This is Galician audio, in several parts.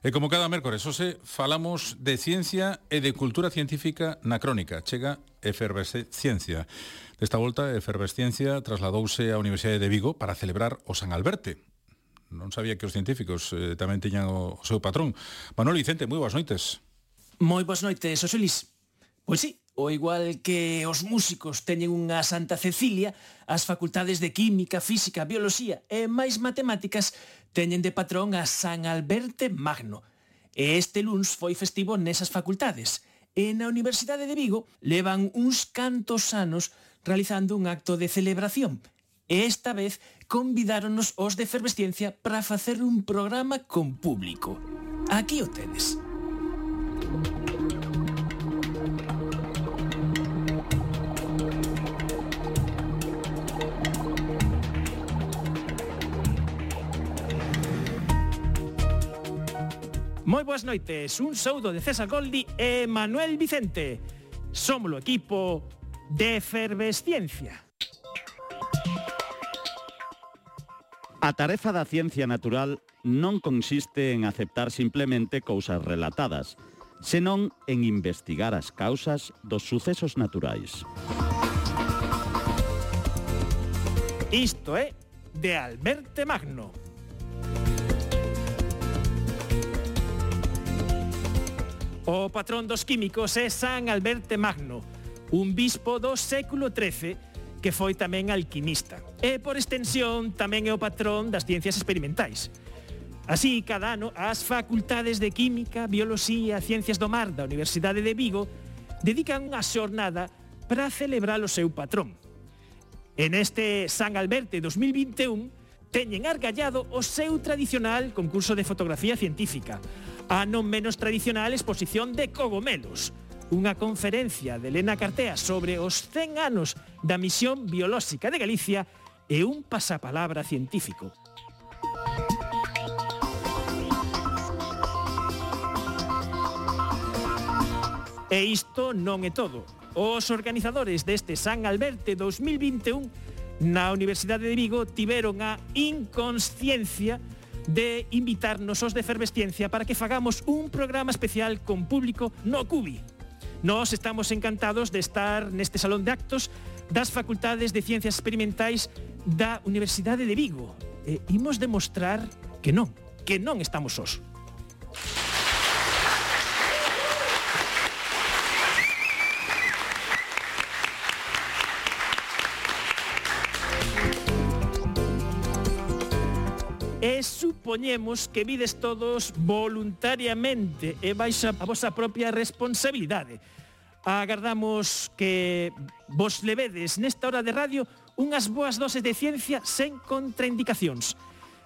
E como cada mércores, hoxe falamos de ciencia e de cultura científica na crónica. Chega Efervesciencia. Desta volta, Efervesciencia trasladouse á Universidade de Vigo para celebrar o San Alberte. Non sabía que os científicos tamén tiñan o seu patrón. Manuel Vicente, moi boas noites. Moi boas noites, Xosé Luis. Pois sí, o igual que os músicos teñen unha Santa Cecilia, as facultades de Química, Física, Bioloxía e máis matemáticas teñen de patrón a San Alberte Magno. E este luns foi festivo nesas facultades. E na Universidade de Vigo levan uns cantos anos realizando un acto de celebración. E esta vez convidáronos os de Efervesciencia para facer un programa con público. Aquí o tedes. Moi boas noites, un saúdo de César Goldi e Manuel Vicente. Somos o equipo de Efervesciencia. A tarefa da ciencia natural non consiste en aceptar simplemente cousas relatadas, senón en investigar as causas dos sucesos naturais. Isto é de Alberte Magno. O patrón dos químicos é San Alberte Magno, un bispo do século XIII que foi tamén alquimista. E, por extensión, tamén é o patrón das ciencias experimentais. Así, cada ano, as facultades de Química, Bioloxía e Ciencias do Mar da Universidade de Vigo dedican unha xornada para celebrar o seu patrón. En este San Alberte 2021 teñen argallado o seu tradicional concurso de fotografía científica, a non menos tradicional exposición de cogomelos, unha conferencia de Elena Cartea sobre os 100 anos da misión biolóxica de Galicia e un pasapalabra científico. E isto non é todo. Os organizadores deste San Alberte 2021 na Universidade de Vigo tiveron a inconsciencia de invitarnos os de Efervesciencia para que fagamos un programa especial con público no Cubi. Nós estamos encantados de estar neste salón de actos das Facultades de Ciencias Experimentais da Universidade de Vigo. E imos demostrar que non estamos sós. E supoñemos que vides todos voluntariamente e baixo a vosa propia responsabilidade. Agardamos que vos levedes nesta hora de radio unhas boas doses de ciencia sen contraindicacións.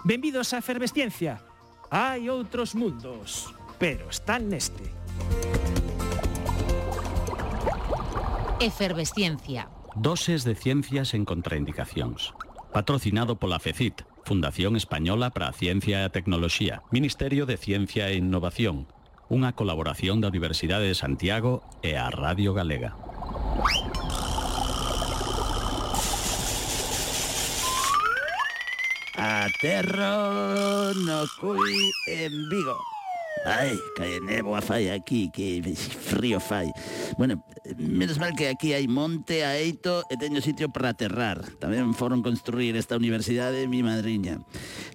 Benvidos a Efervesciencia. Hai outros mundos, pero están neste. Efervesciencia. Doses de ciencia sen contraindicacións. Patrocinado pola FECIT, Fundación Española para a Ciencia e a Tecnoloxía, Ministerio de Ciencia e Innovación, unha colaboración da Universidade de Santiago e a Radio Galega. Aterro no Cui en Vigo. Ai, que néboa fai aquí, que frío fai. Bueno, menos mal que aquí hai monte, aeito e teño sitio para aterrar. Tamén foron construir esta universidade mi madriña.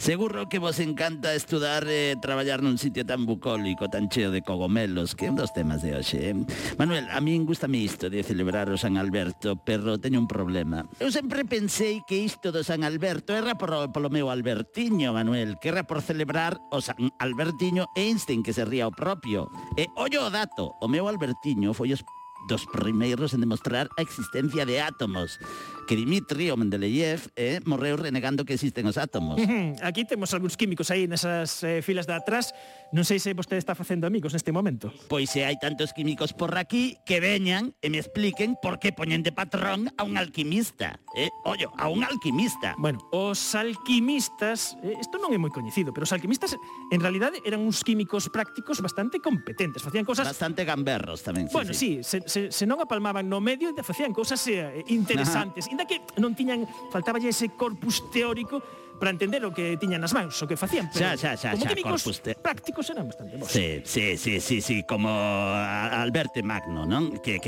Seguro que vos encanta estudar e traballar nun sitio tan bucólico, tan cheo de cogomelos, que é un dos temas de hoxe. Manuel, a min gustame isto de celebrar o San Alberto, pero teño un problema. Eu sempre pensei que isto do San Alberto era polo meu Albertiño, Manuel, que era por celebrar o San Albertiño Einstein, que se ría o propio. E ollo o dato, o meu Albertiño foi os dos primeiros en demostrar a existencia de átomos, que Dmitri, o Mendeleev, morreu renegando que existen os átomos. Aquí temos algúns químicos aí nesas filas de atrás. Non sei se vostede está facendo amigos neste momento. Pois se hai tantos químicos por aquí, que veñan e me expliquen por que poñen de patrón a un alquimista. Ollo, a un alquimista. Bueno, os alquimistas, isto non é moi coñecido, pero os alquimistas en realidade eran uns químicos prácticos bastante competentes, facían cousas bastante gamberros tamén. Bueno, sí, se non apalmaban no medio, facían cousas interesantes. Inda que non tiñan, faltaballe ese corpus teórico para entender o que tiñan nas mans, o que facían, pero como químicos prácticos eran bastante bons. Sí, como Alberto Magno, non? Que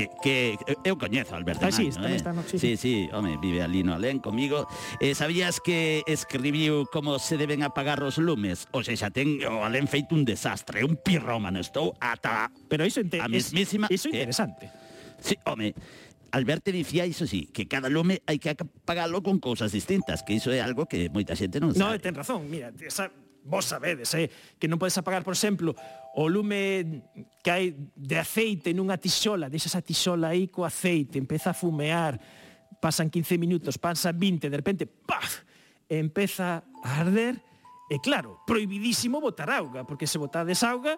eu coñezo a Alberto Magno, Sí, home, vive ali no alén comigo. Sabías que escribiu como se deben apagar os lumes? O sea, xa ten o alén feito un desastre, un pirrómano, estou ata pero iso a mismísima... Iso é interesante. Sí, home, Alberto dicía iso sí, que cada lume hai que apagalo con cousas distintas, que iso é algo que moita xente non sabe. No, ten razón, mira, vos sabedes, que non podes apagar, por exemplo, o lume que hai de aceite nunha tixola, deixas a tixola aí co aceite, empeza a fumear, pasan 15 minutos, pasan 20, de repente, ¡paf!, empeza a arder, e claro, prohibidísimo botar auga, porque se botades auga,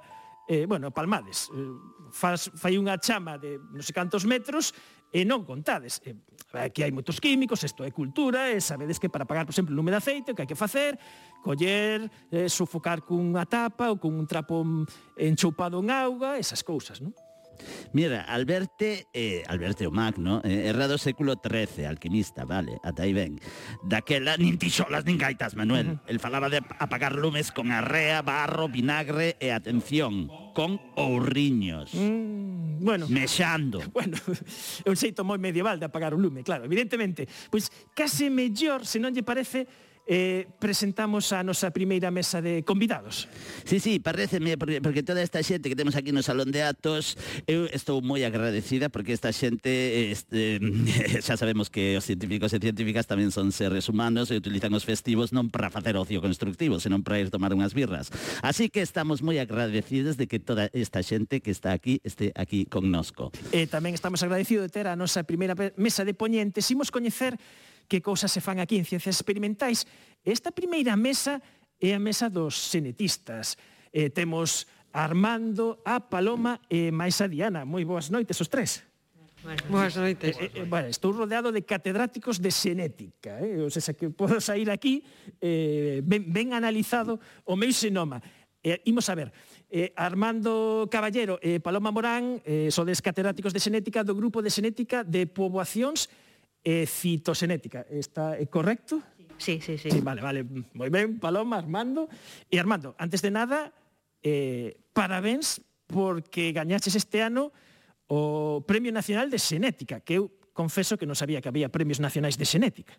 palmades, fai unha chama de non sei cantos metros e non contades. Aquí hai moitos químicos, isto é cultura, e sabedes que para apagar, por exemplo, o lume de aceite, o que hai que facer, coller, sufocar cunha tapa ou cun trapo enchoupado en auga, esas cousas, non? Mira, Alberto Magno era do século XIII, alquimista, vale, ata aí ben. Daquela nin tixolas nin gaitas, Manuel. El falaba de apagar lumes con arrea, barro, vinagre e, atención, con ouriños. Mexando. Bueno, é un xeito moi medieval de apagar un lume, claro, evidentemente. Pois case mellor, se non lle parece, presentamos a nosa primeira mesa de convidados. Sí, pareceme, porque toda esta xente que temos aquí no Salón de Actos, eu estou moi agradecida porque esta xente, xa sabemos que os científicos e científicas tamén son seres humanos e utilizan os festivos non para facer ocio constructivo, senón para ir tomar unhas birras. Así que estamos moi agradecidos de que toda esta xente que está aquí este aquí connosco. E tamén estamos agradecidos de ter a nosa primeira mesa de poñentes. Imos coñecer que cousas se fan aquí en Ciencias Experimentais. Esta primeira mesa é a mesa dos xenetistas. Temos a Armando, a Paloma e máis a Diana. Moi boas noites os tres. Boas noites. Estou rodeado de catedráticos de xenética. O sea, que podo sair aquí ben analizado o meu xenoma. Imos a ver, Armando Caballero e Paloma Morán sodes catedráticos de xenética do grupo de xenética de poboacións citoxenética. Está correcto? Sí. Vale. Moi ben, Paloma, Armando. E Armando, antes de nada, parabéns porque gañaches este ano o Premio Nacional de Xenética, que eu confeso que non sabía que había premios nacionais de xenética.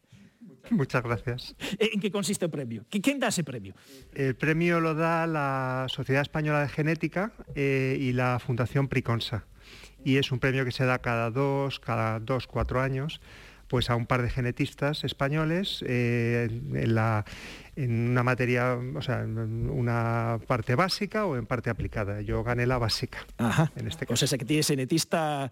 Muchas gracias. ¿En qué consiste el premio? ¿Quién da ese premio? El premio lo da la Sociedad Española de Genética y la Fundación Priconsa. Y es un premio que se da cada 4 años, pues a un par de genetistas españoles en una materia, o sea, en una parte básica o en parte aplicada. Yo gané la básica. Ajá. En este caso. O sea, que tienes genetista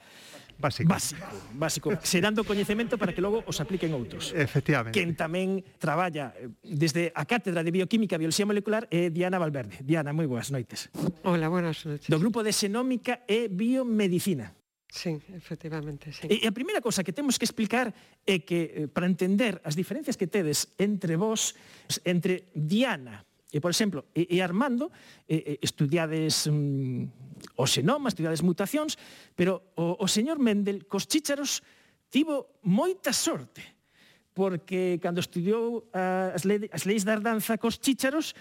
básico, xerando coñecemento para que logo os apliquen outros. Efectivamente. Quen tamén traballa desde a Cátedra de Bioquímica e Bioloxía Molecular é Diana Valverde. Diana, moi boas noites. Hola, buenas noites. Do grupo de Xenómica e Biomedicina. Sí, efectivamente, sí. E a primeira cosa que temos que explicar é que para entender as diferencias que tedes entre vos, entre Diana e, por exemplo, e Armando, estudiades o xenoma, estudiades mutacións, pero o señor Mendel cos chícharos tivo moita sorte, porque cando estudiou as leis da herdanza cos chícharos,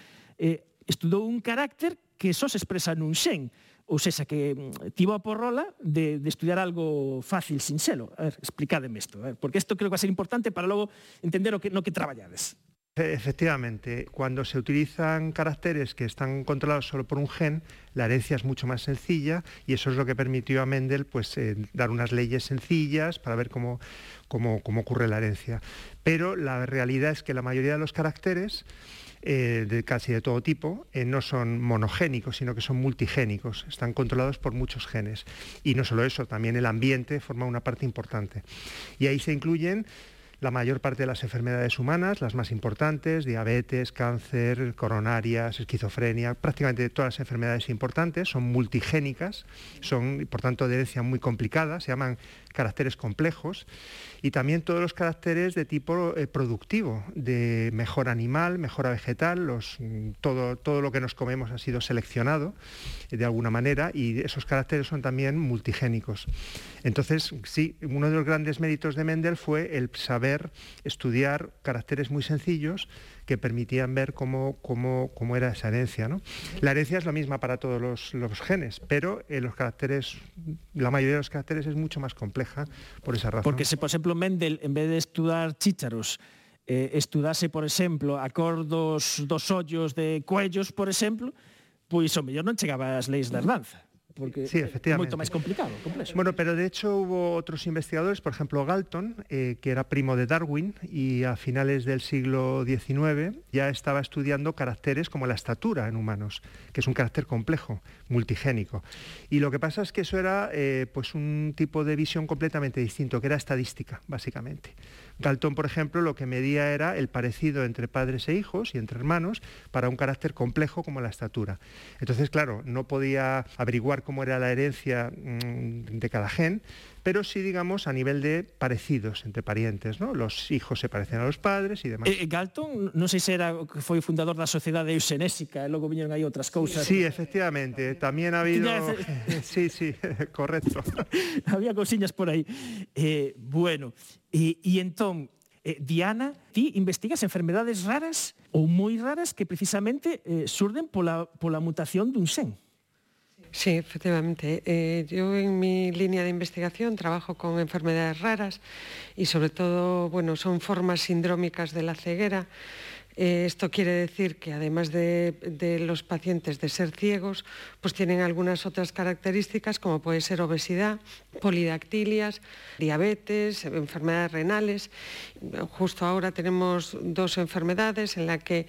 estudou un carácter que só se expresa nun xen, ou seja, que tivo a porrola de estudiar algo fácil, sin selo. A ver, explícademe isto, porque isto creo que va a ser importante para logo entender no que traballades. Efectivamente, cuando se utilizan caracteres que están controlados solo por un gen, la herencia es mucho más sencilla y eso es lo que permitió a Mendel pues, dar unas leyes sencillas para ver cómo ocurre la herencia. Pero la realidad es que la mayoría de los caracteres de casi de todo tipo, no son monogénicos, sino que son multigénicos, están controlados por muchos genes. Y no solo eso, también el ambiente forma una parte importante. Y ahí se incluyen la mayor parte de las enfermedades humanas, las más importantes, diabetes, cáncer, coronarias, esquizofrenia, prácticamente todas las enfermedades importantes son multigénicas, son por tanto de herencia muy complicada, se llaman caracteres complejos, y también todos los caracteres de tipo productivo, de mejora animal, mejora vegetal, todo lo que nos comemos ha sido seleccionado de alguna manera y esos caracteres son también multigénicos. Entonces, sí, uno de los grandes méritos de Mendel fue el saber estudiar caracteres muy sencillos que permitían ver cómo era esa herencia, ¿no? La herencia es la misma para todos los genes, pero los caracteres, la mayoría de los caracteres es mucho más compleja por esa razón. Porque se, por exemplo, Mendel, en vez de estudar chícharos, estudase, por exemplo, a cor dos ollos de cuellos, por exemplo, pois o mellor non chegaba ás leis da herdanza. Porque sí, efectivamente. É moito máis complicado, complexo. Bueno, pero de hecho hubo otros investigadores, por ejemplo Galton, que era primo de Darwin y a finales del siglo XIX ya estaba estudiando caracteres como la estatura en humanos, que es un carácter complejo, multigénico. Y lo que pasa es que eso era pues un tipo de visión completamente distinto, que era estadística, básicamente. Galton, por ejemplo, lo que medía era el parecido entre padres e hijos y entre hermanos para un carácter complejo como la estatura. Entonces, claro, no podía averiguar cómo era la herencia de cada gen, pero sí, digamos, a nivel de parecidos entre parientes, ¿no? Los hijos se parecen a los padres y demás. Galton, non sei se era que foi fundador da Sociedade Eusenésica, e logo viñeron aí outras cousas. Sí, efectivamente, también ha habido... Sí, correcto. Había cousiñas por aí. Bueno, e entón, Diana, ti investigas enfermedades raras ou moi raras que precisamente surden pola mutación dun xen. Sí, efectivamente. Yo en mi línea de investigación trabajo con enfermedades raras y sobre todo, bueno, son formas sindrómicas de la ceguera. Esto quiere decir que además de los pacientes de ser ciegos, pues tienen algunas otras características como puede ser obesidad, polidactilias, diabetes, enfermedades renales. Justo ahora tenemos dos enfermedades en las que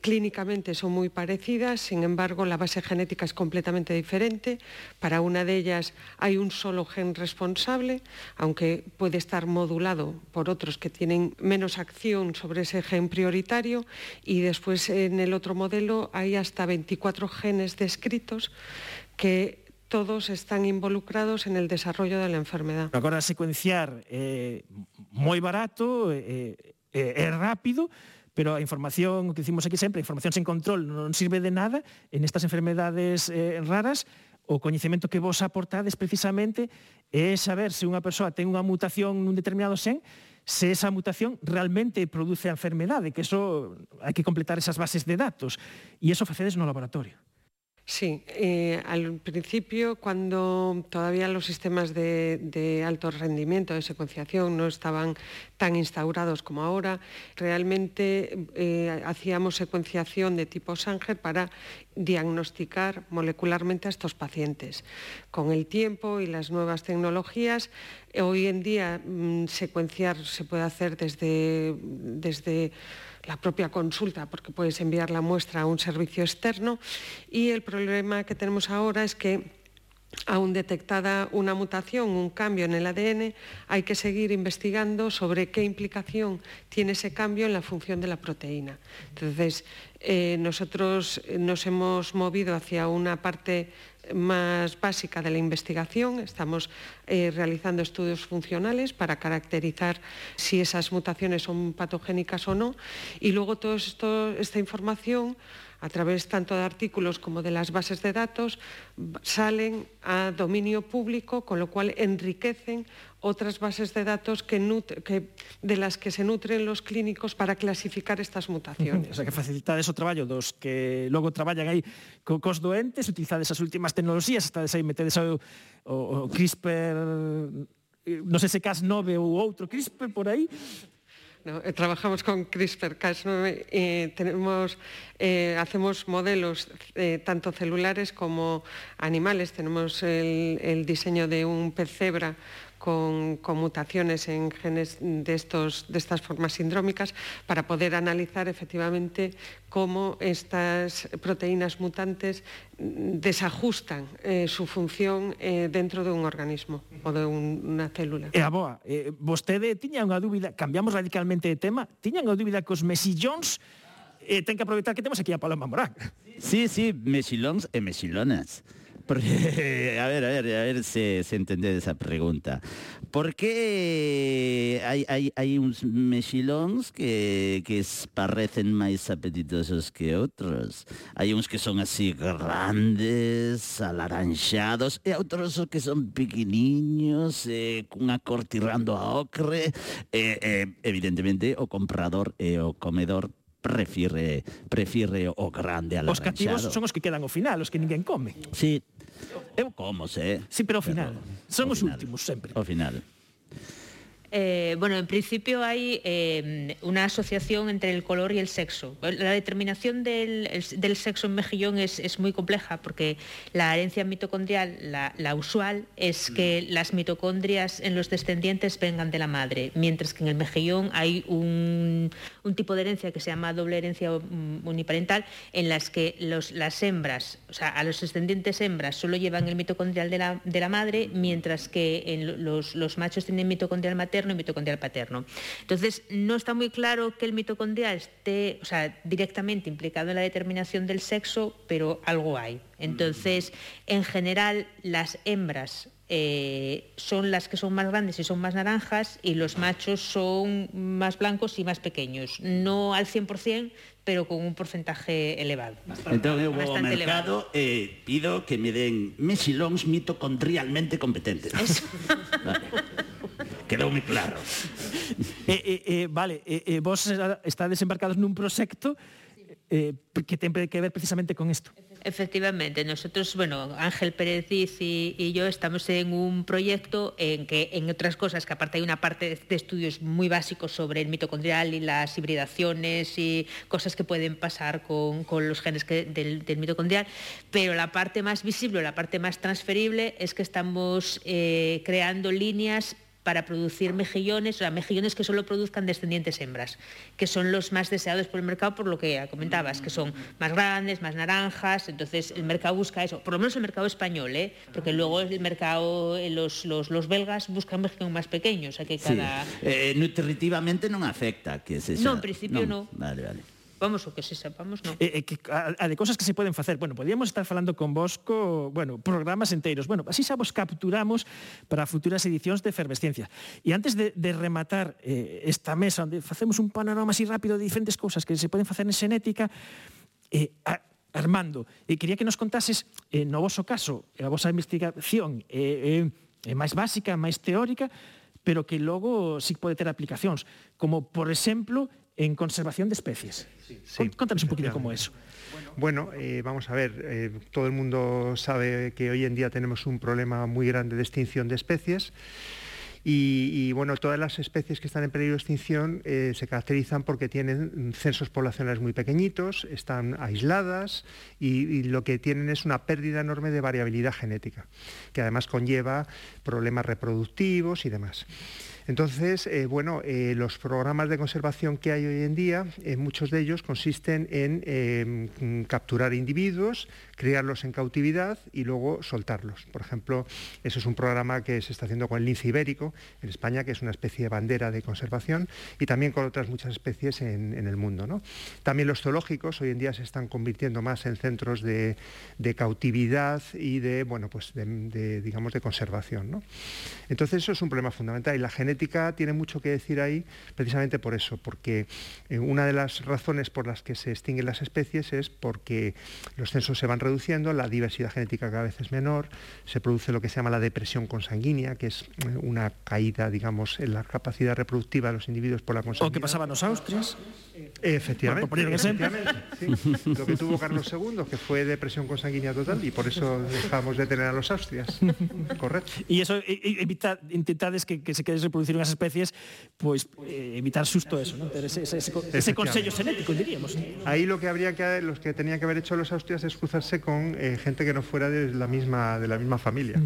clínicamente son muy parecidas, sin embargo la base genética es completamente diferente. Para una de ellas hay un solo gen responsable, aunque puede estar modulado por otros que tienen menos acción sobre ese gen prioritario, y después en el otro modelo hay hasta 24 genes descritos que todos están involucrados en el desarrollo de la enfermedad. Agora secuenciar moi barato, rápido, pero a información, que dicimos aquí sempre, a información sen control non sirve de nada en estas enfermedades raras. O coñecemento que vos aportades precisamente é saber se unha persoa ten unha mutación nun determinado xen, se esa mutación realmente produce a enfermedade, que eso hai que completar esas bases de datos, e eso facedes no laboratorio. Sí, al principio, cuando todavía los sistemas de alto rendimiento de secuenciación no estaban tan instaurados como ahora, realmente hacíamos secuenciación de tipo Sanger para diagnosticar molecularmente a estos pacientes. Con el tiempo y las nuevas tecnologías, hoy en día secuenciar se puede hacer desde la propia consulta, porque puedes enviar la muestra a un servicio externo, y el problema que tenemos ahora es que aún detectada una mutación, un cambio en el ADN, hay que seguir investigando sobre qué implicación tiene ese cambio en la función de la proteína. Entonces, nosotros nos hemos movido hacia una parte más básica de la investigación. Estamos realizando estudios funcionales para caracterizar si esas mutaciones son patogénicas o no, y luego toda esta información, a través tanto de artículos como de las bases de datos, salen a dominio público, con lo cual enriquecen otras bases de datos de las que se nutren los clínicos para clasificar estas mutaciones. O sea, que facilitades o traballo dos que logo traballan aí cos doentes, utilizades as últimas tecnoloxías, estades aí, metedes o CRISPR, non sei se Cas9 ou outro CRISPR por aí. No, trabajamos con CRISPR-Cas9 y hacemos modelos tanto celulares como animales. Tenemos el diseño de un pez cebra con mutaciones en genes de estas formas sindrómicas para poder analizar efectivamente cómo estas proteínas mutantes desajustan su función dentro de un organismo ou de unha célula. Aboa, vostede tiña unha dúbida, cambiamos radicalmente de tema, tiña unha dúbida cos mexillóns, ten que aproveitar que temos aquí a Paloma Morán. Sí, mexilóns e mexilonas. Porque, a ver se entende esa pregunta. Por que hai uns mexilóns que parecen máis apetitosos que outros? Hai uns que son así grandes, alaranxados, e outros que son pequeniños, cunha cor tirando a ocre. Evidentemente, o comprador e o comedor prefire o grande alaranxado. Os cativos son os que quedan ao final, os que ninguén come. Sí, eu como, Sí, pero ao final. Son os últimos, sempre. Ao final. Bueno, en principio hay una asociación entre el color y el sexo. La determinación del sexo en mejillón es muy compleja porque la herencia mitocondrial, la usual, es que las mitocondrias en los descendientes vengan de la madre, mientras que en el mejillón hay un tipo de herencia que se llama doble herencia uniparental, en las que las hembras, o sea, a los descendientes hembras solo llevan el mitocondrial de la madre, mientras que los machos tienen mitocondrial materno y mitocondrial paterno. Entonces, no está muy claro que el mitocondrial esté, o sea, directamente implicado en la determinación del sexo, pero algo hay. Entonces, en general, las hembras son las que son más grandes y son más naranjas, y los machos son más blancos y más pequeños. No al 100%, pero con un porcentaje elevado. Entón eu vou ao mercado e pido que me den mexilóns mitocondrialmente competentes. Eso. Vale. Quedou moi claro. Vale, vos estades embarcados nun proxecto que ten que ver precisamente con isto. Efectivamente, nosotros, bueno, Ángel Pérez Diz y yo estamos en un proyecto en que, en otras cosas, que aparte hay una parte de estudios muy básicos sobre el mitocondrial y las hibridaciones y cosas que pueden pasar con los genes del mitocondrial, pero la parte más visible, la parte más transferible es que estamos creando líneas para producir mejillones, o sea, mejillones que solo produzcan descendientes hembras, que son los más deseados por el mercado, por lo que comentabas, que son más grandes, más naranjas. Entonces el mercado busca eso, por lo menos el mercado español, porque luego el mercado, los belgas buscan mejillones más pequeños, o sea que cada... Sí. Nutritivamente non afecta que se xa... No, en principio no. Vale. Vamos, o que se sepamos, non. A de cosas que se poden facer. Bueno, podíamos estar falando con vos programas enteiros. Bueno, así xa vos capturamos para futuras edicións de Efervesciencia. E antes de rematar esta mesa, onde facemos un panorama así rápido de diferentes cousas que se poden facer en xenética, Armando, quería que nos contases, no voso caso, a vosa investigación é máis básica, máis teórica, pero que logo sí pode ter aplicacións, como, por exemplo, en conservación de especies. Sí, contanos un poquito como eso. Bueno, vamos a ver, todo el mundo sabe que hoy en día tenemos un problema muy grande de extinción de especies y bueno, todas las especies que están en peligro de extinción se caracterizan porque tienen censos poblacionales muy pequeñitos, están aisladas y lo que tienen es una pérdida enorme de variabilidad genética, que además conlleva problemas reproductivos y demás. Entonces, los programas de conservación que hay hoy en día, muchos de ellos consisten en capturar individuos, criarlos en cautividad y luego soltarlos. Por ejemplo, eso es un programa que se está haciendo con el lince ibérico en España, que es una especie de bandera de conservación, y también con otras muchas especies en el mundo, ¿no? También los zoológicos hoy en día se están convirtiendo más en centros de cautividad y de conservación, ¿no? Entonces, eso es un problema fundamental, y la genética tiene mucho que decir ahí precisamente por eso, porque una de las razones por las que se extinguen las especies es porque los censos se van reduciendo, la diversidad genética cada vez es menor, se produce lo que se llama la depresión consanguínea, que es una caída, digamos, en la capacidad reproductiva de los individuos por la consanguinidad. O que pasaba nos Austrias. Efectivamente, por poner un ejemplo. Sí. Lo que tuvo Carlos II, que fue depresión consanguínea total, y por eso dejamos de tener a los Austrias. Correcto. E iso intentades que se queres reproducir unhas especies, pois evitar xusto eso, ¿no? Ese consello xenético, diríamos. Ahí lo que tenían que haber hecho los Austrias es cruzarse con gente que no fuera de la misma familia.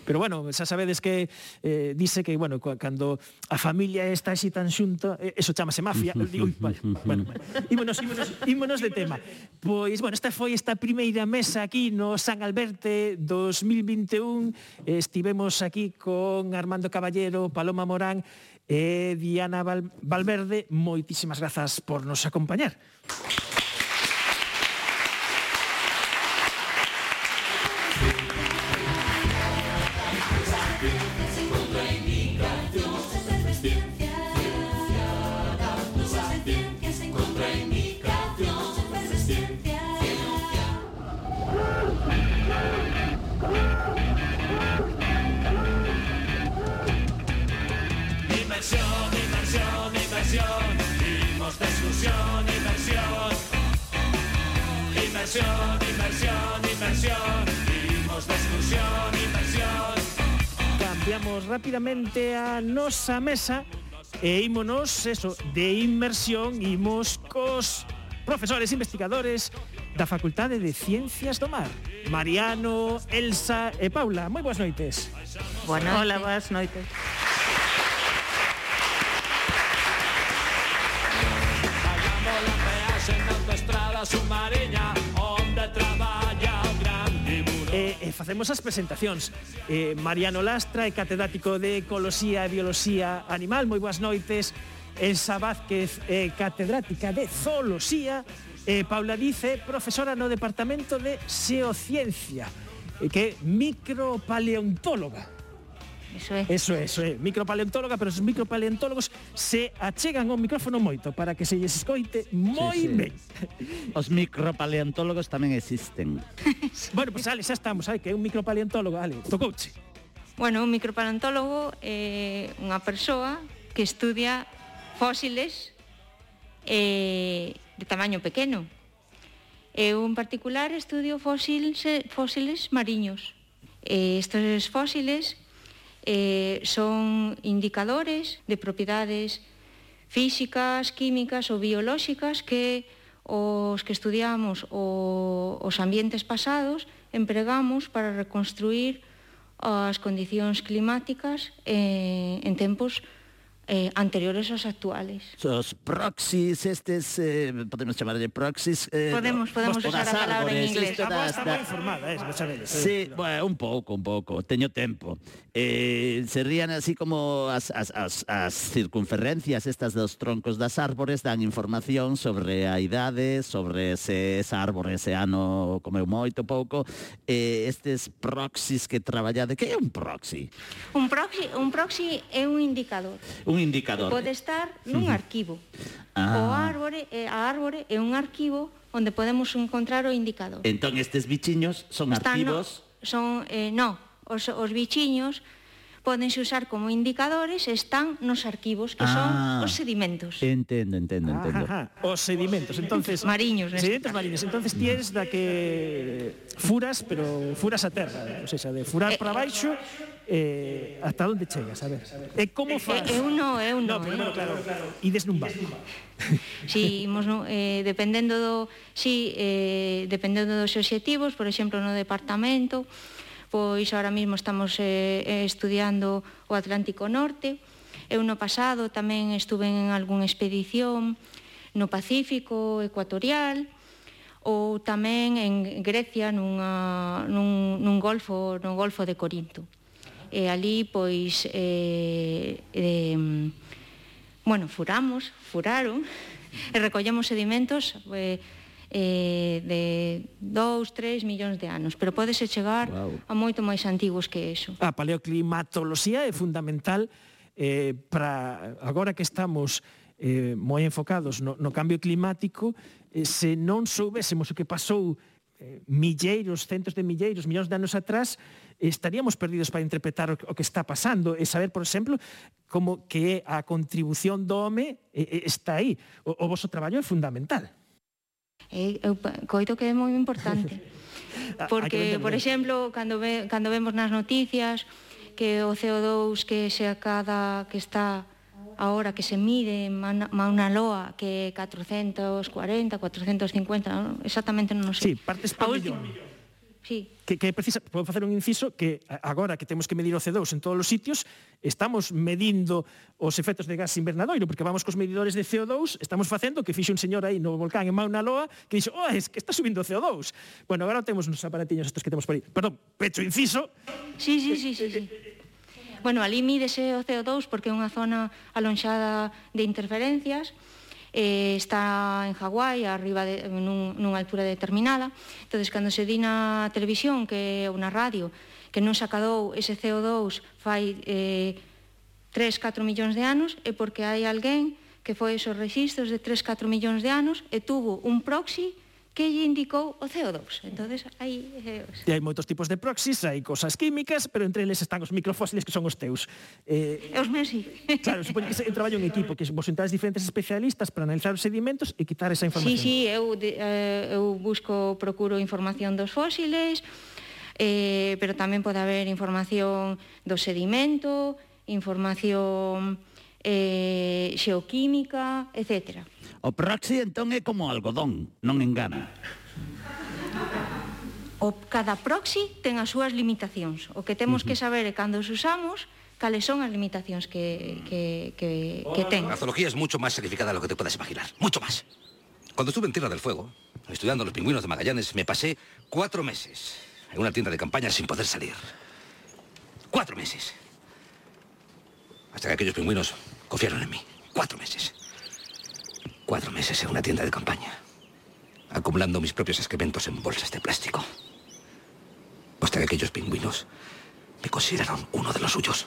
Pero bueno, xa sabedes que dice que, bueno, cando a familia está así tan xunta, eso chamase mafia. Digo, vale, bueno, ímonos de tema. Pois, bueno, esta foi esta primeira mesa aquí no San Alberte 2021. Estivemos aquí con Armando Caballero, Paloma Morán e Diana Valverde. Moitísimas grazas por nos acompañar. Cambiamos rápidamente a nosa mesa e ímonos, de inmersión, imos cos profesores investigadores da Facultade de Ciencias do Mar. Mariano, Elsa e Paula, moi boas noites. Hola, boas noites. Facemos as presentacións. Mariano Lastra é catedrático de Ecoloxía e Bioloxía Animal. Moi boas noites. Elsa Vázquez é catedrática de Zooloxía. Paula Dice, profesora no Departamento de Xeociencia, que é micropaleontóloga. Eso é, micropaleontóloga, pero os micropaleontólogos se achegan ao micrófono moito para que se lles escoite moi ben. Os micropaleontólogos tamén existen. Bueno, pois Ale, xa estamos, que é un micropaleontólogo, Ale, tocouche. Bueno, un micropaleontólogo é unha persoa que estudia fósiles de tamaño pequeno. Eu, en particular, estudio fósiles mariños. Estes fósiles son indicadores de propiedades físicas, químicas ou biolóxicas que os que estudiamos os ambientes pasados empregamos para reconstruir as condicións climáticas en tempos anteriores aos actuales. Os proxys, podemos chamarlle proxys. Podemos usar a palabra en inglés. A voz está moi informada, sabedes. Sí, bueno, un pouco, teño tempo. Serían así como as circunferencias estas dos troncos das árbores dan información sobre a idade, sobre se esa árbore ese ano comeu moito pouco. Estes proxys que traballade, que é un proxy? Un proxy é un indicador. Un indicador. Pode estar nun arquivo. A árbore é un arquivo onde podemos encontrar o indicador. Entón estes bichiños son arquivos? Os bichiños pódense usar como indicadores e están nos arquivos, que son os sedimentos. Entendo. Os sedimentos, entonces mariños. Sedimentos mariños. Entonces tienes da que furas, pero furas a terra, ou seja, de furar para baixo hasta onde chegas, a ver. E como faz? Eu non. Pero claro. Ides nun bar. Si, dependendo dos obxectivos, por exemplo, no departamento, pois ahora mesmo estamos estudiando o Atlántico Norte. Eu no pasado tamén estuve en algunha expedición no Pacífico Ecuatorial ou tamén en Grecia nun golfo de Corinto. E ali, pois, furaron e recollemos sedimentos de 2-3 millóns de anos, pero pódese chegar a moito máis antigos que eso. A paleoclimatoloxía é fundamental para agora que estamos moi enfocados no cambio climático. Se non soubésemos o que pasou centos de milleiros, millóns de anos atrás, estaríamos perdidos para interpretar o que está pasando e saber, por exemplo, como que a contribución do home está aí. O vosso traballo é fundamental. Eu coito que é moi importante. Porque, por exemplo, cando vemos nas noticias que o CO2 que está ahora que se mide en Mauna Loa, que é 440, 450, exactamente non sei. Sí, partes por millón. Sí. Que precisa, podo facer un inciso, que agora que temos que medir o CO2 en todos os sitios, estamos medindo os efectos de gas invernadoiro, porque vamos cos medidores de CO2, estamos facendo que fixe un señor aí no volcán en Mauna Loa, que dixo, es que está subindo o CO2. Bueno, agora temos uns aparatiños estos que temos por aí. Perdón, pecho inciso. Sí. Bueno, ali mídese o CO2 porque é unha zona alonxada de interferencias, está en Hawái, arriba nunha altura determinada. Entón, cando se di na televisión ou na radio que non se acadou ese CO2 fai 3-4 millóns de anos, é porque hai alguén que foi esos registros de 3-4 millóns de anos e tuvo un proxy que lle indicou o CO2. Entonces, aí... E hai moitos tipos de proxies, hai cosas químicas, pero entre eles están os microfósiles que son os teus. Os meus, sí. Claro, supoño que é un traballo en equipo, que vos sentades diferentes especialistas para analizar os sedimentos e quitar esa información. Sí, eu procuro información dos fósiles, pero tamén pode haber información do sedimento, información xeoquímica, etc. O proxy entón é como algodón, non engana. Cada proxy ten as súas limitacións. O que temos que saber é cando os usamos, cales son as limitacións que ten. La zoología es mucho más sacrificada de lo que te puedas imaginar. Mucho más. Cuando estuve en Tierra del Fuego, estudiando los pingüinos de Magallanes, me pasé 4 meses en una tienda de campaña sin poder salir. 4 meses. Hasta que aquellos pingüinos confiaron en mí. 4 meses. 4 meses en una tienda de campaña, acumulando mis propios excrementos en bolsas de plástico. Hasta que aquellos pingüinos me consideraron uno de los suyos.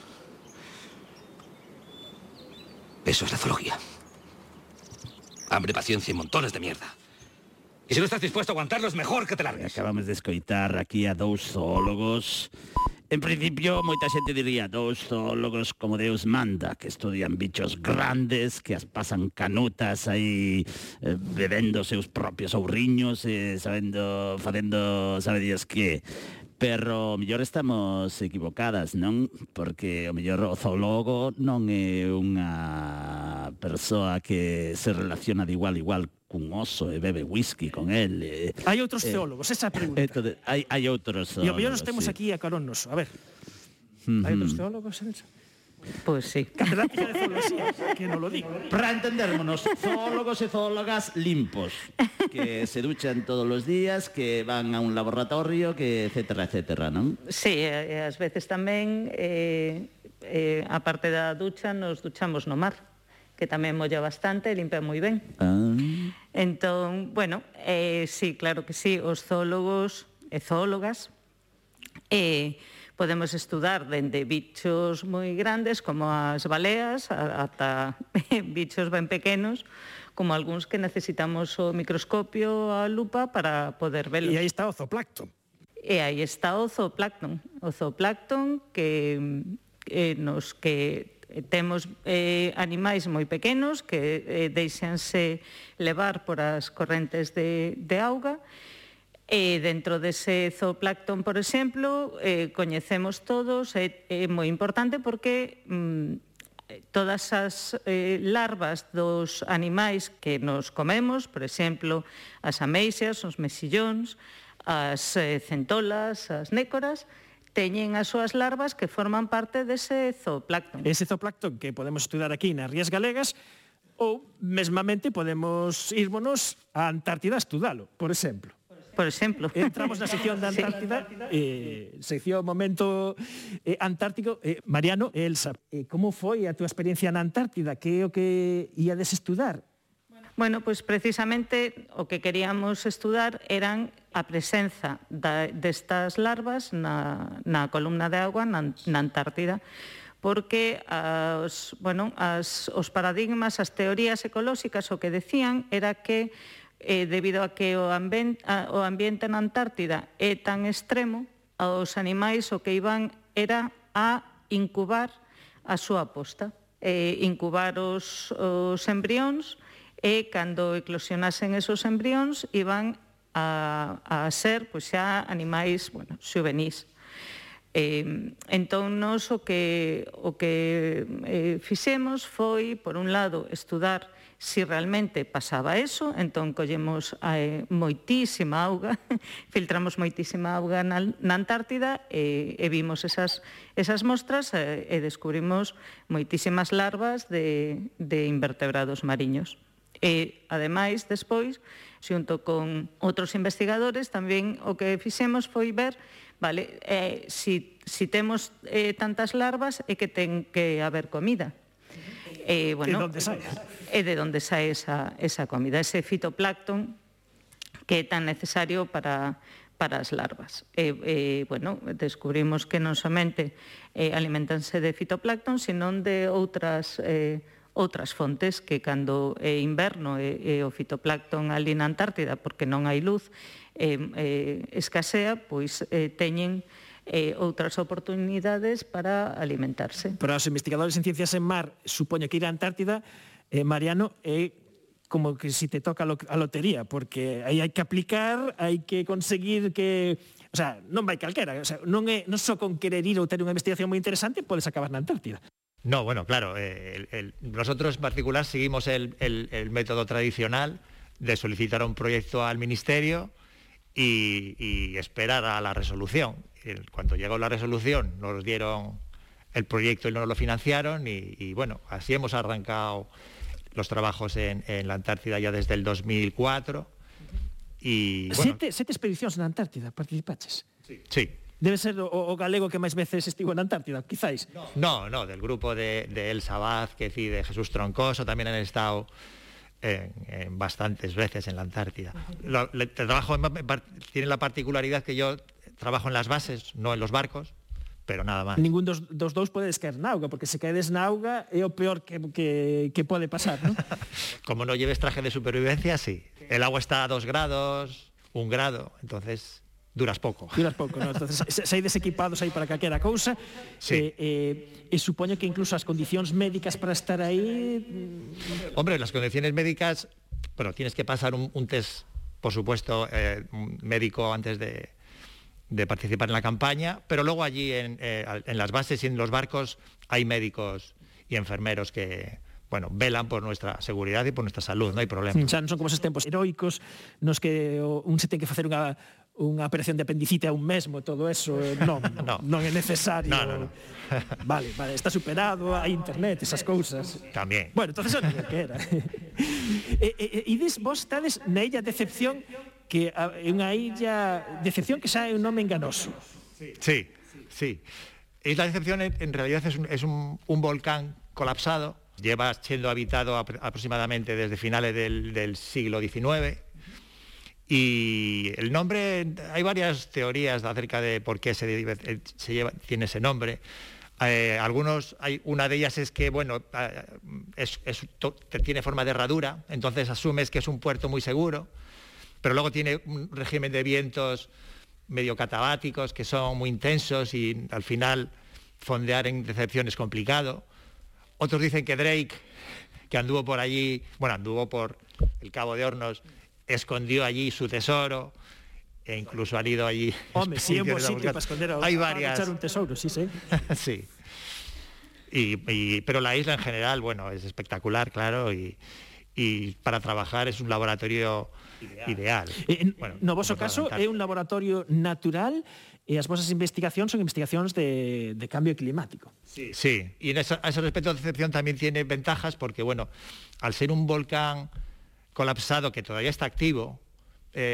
Eso es la zoología. Hambre, paciencia y montones de mierda. Y si no estás dispuesto a aguantarlo, es mejor que te largues. Acabamos de escoitar aquí a 2 zoólogos. En principio, moita xente diría 2 zoólogos como Deus manda, que estudian bichos grandes, que as pasan canutas aí bebendo seus propios ouriños, facendo sabe Dios que. Pero o mellor estamos equivocadas, non? Porque o mellor o zoólogo non é unha persoa que se relaciona de igual a igual cun oso e bebe whisky con él. Hai outros teólogos, esa pregunta. Hai outros zoólogos. E o mellor nos temos aquí a carón noso. A ver, hai outros teólogos, Elsa? Pois sí. Catedrática de zoología, que non lo digo. Para entendérmonos, zoólogos e zoólogas limpos, que se duchan todos os días, que van a un laboratorio, que etcétera, non? Sí, e ás veces tamén, a parte da ducha, nos duchamos no mar, que tamén molla bastante e limpia moi ben. Entón, bueno, sí, claro que sí, os zoólogos e zoólogas podemos estudar dende bichos moi grandes como as baleas ata bichos ben pequenos como algúns que necesitamos o microscopio, a lupa para poder velos. E aí está o zooplancton. E aí está o zooplancton. O zooplancton que temos animais moi pequenos que deixanse levar por as correntes de auga. E dentro dese zooplancton, por exemplo, coñecemos todos, é moi importante porque todas as larvas dos animais que nos comemos, por exemplo, as ameixas, os mexillóns, as centolas, as nécoras, teñen as súas larvas que forman parte dese zooplancton. Ese zooplancton que podemos estudar aquí nas Rías Galegas ou, mesmamente, podemos irmonos á Antártida a estudalo, por exemplo. Por exemplo. Entramos na sección da Antártida, sección momento antártico. Mariano e Elsa, como foi a túa experiencia na Antártida? Que é o que íades estudar? Bueno, pois precisamente o que queríamos estudar eran a presenza destas larvas na columna de agua na Antártida, porque os paradigmas, as teorías ecolóxicas o que decían era que debido a que o ambiente na Antártida é tan extremo, os animais o que iban era a incubar a súa posta, incubar os embrións e cando eclosionasen esos embrións iban a ser pois xa animais xuvenís. Entón, nos o que fixemos foi, por un lado, estudar si realmente pasaba eso, entón collemos moitísima auga, filtramos moitísima auga na Antártida e vimos esas mostras e descubrimos moitísimas larvas de invertebrados mariños. E, ademais, despois, xunto con outros investigadores, tamén o que fixemos foi ver, vale, si temos tantas larvas é que ten que haber comida. De onde sae? E de onde sae esa comida, ese fitoplancton que é tan necesario para as larvas. Bueno, descubrimos que non somente alimentanse de fitoplancton, senón de outras fontes que cando é inverno e o fitoplancton ali na Antártida, porque non hai luz, escasea, pois teñen outras oportunidades para alimentarse. Para os investigadores en ciencias en mar, supoño que ir á Antártida, Mariano, é como que si te toca a lotería, porque aí hai que aplicar, hai que conseguir que O sea, non vai calquera, o sea, non só con querer ir ou ter unha investigación moi interesante podes acabar na Antártida. No, bueno, claro, nosotros en particular seguimos el método tradicional de solicitar un proyecto al Ministerio y esperar a la resolución. Cuando llegó la resolución nos dieron el proyecto y nos lo financiaron y bueno, así hemos arrancado los trabajos en la Antártida ya desde el 2004. Y, bueno, sete expedicións na Antártida participaches? Sí. Debe ser o galego que máis veces estivo na Antártida, quizáis. No, del grupo de Elsa Vázquez y de Jesús Troncoso también han estado en bastantes veces en la Antártida. El trabajo tiene la particularidad que yo trabajo en las bases, no en los barcos, pero nada más. Ningún dos dous podedes caer na auga, porque se caedes na auga é o peor que pode pasar, ¿no? Como no lleves traje de supervivencia, sí. El agua está a 2 grados, 1 grado, entonces duras pouco, ¿no? Entonces, saides equipados aí para calquera cousa. Sí. E supoño que incluso as condicións médicas para estar aí... Hombre, las condiciones médicas, bueno, tienes que pasar un test, por supuesto, médico antes de participar en la campaña, pero luego allí en las bases y en los barcos hay médicos y enfermeros que, bueno, velan por nuestra seguridad y por nuestra salud, no hay problema. Xa non son como esos tempos heroicos nos que un se ten que facer unha operación de apendicite a un mesmo, todo eso, non é necesario. No. Vale, está superado, hai internet, esas cousas. Tamén. Bueno, entonces non que era. E vos estades na Illa Decepción, que é unha illa Decepción que xa é un nome enganoso. Sí. Isla Decepción en realidad es un volcán colapsado. Lleva siendo habitado aproximadamente desde finales del siglo XIX. Y el nombre, hay varias teorías acerca de por qué tiene ese nombre. Una de ellas es que, bueno, tiene forma de herradura, entonces asumes que es un puerto muy seguro, pero luego tiene un régimen de vientos medio catabáticos que son muy intensos y al final fondear en Decepción es complicado. Otros dicen que Drake, que anduvo por allí, bueno, anduvo por el Cabo de Hornos, escondió allí su tesoro, e incluso han ido allí... Hombre, sí, en buen sitio para esconder para echar un tesoro, sí. Sí. Pero la isla en general, bueno, es espectacular, claro, y para trabajar es un laboratorio ideal. No voso caso é un laboratorio natural e as vosas investigacións son investigacións de cambio climático. Sí, y a ese respecto Decepción también tiene ventajas porque, bueno, al ser un volcán colapsado que todavía está activo,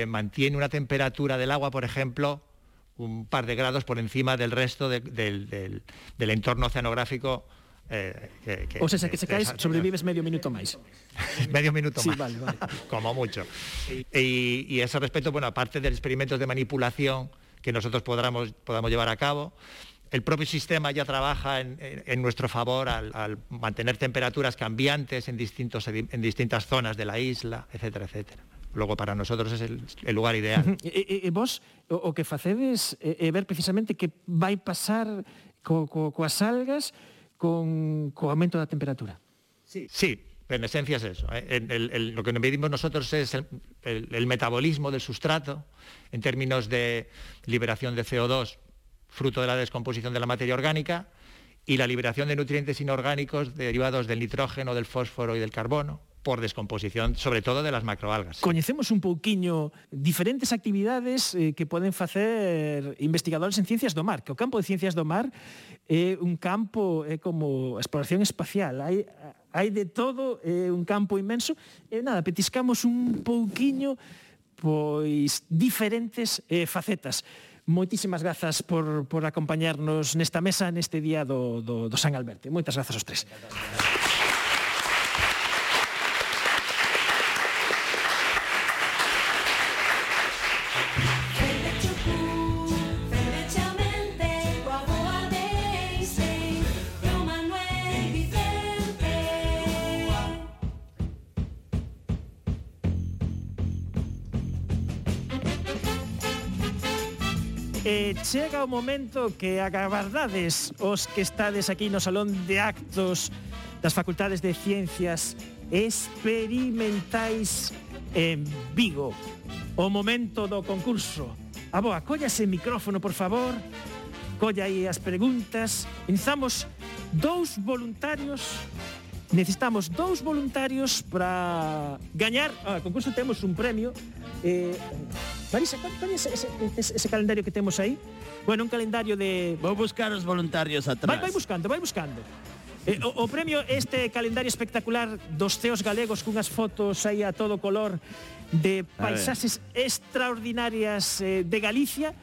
mantiene una temperatura del agua, por ejemplo, un par de grados por encima del resto del entorno oceanográfico. O sea, que se caes, sobrevives medio minuto máis. Medio minuto sí, más. Vale. Como mucho. Y a ese respecto, bueno, aparte de experimentos de manipulación que nosotros podamos llevar a cabo, el propio sistema ya trabaja en nuestro favor al mantener temperaturas cambiantes en distintas zonas de la isla, etcétera, etcétera. Luego para nosotros es el lugar ideal. E vos o que facedes é ver precisamente que vai pasar coas algas con aumento da temperatura. Sí, en esencia es eso. Lo que medimos nosotros es el metabolismo del sustrato en términos de liberación de CO2 fruto de la descomposición de la materia orgánica y la liberación de nutrientes inorgánicos derivados del nitrógeno, del fósforo y del carbono por descomposición, sobre todo de las macroalgas. Coñecemos un pouquiño diferentes actividades que poden facer investigadores en ciencias do mar, que o campo de ciencias do mar é un campo como exploración espacial, hai de todo, é un campo inmenso, e nada, petiscamos un pouquiño pois diferentes facetas. Moitísimas grazas por acompañarnos nesta mesa neste día do San Alberto. Moitas grazas aos tres. Chega o momento que agardades os que estades aquí no Salón de Actos das Facultades de Ciencias Experimentais en Vigo. O momento do concurso. Aboa, colla ese micrófono, por favor. Colla aí as preguntas. Necesitamos 2 voluntarios. Necesitamos 2 voluntarios para gañar. O concurso temos un premio. Marisa, ¿cuál es ese calendario que temos aí? Bueno, un calendario de... Vou buscar os voluntarios atrás. Vai buscando. O premio este calendario espectacular dos ceos galegos cunhas fotos aí a todo color de paisaxes extraordinarias de Galicia.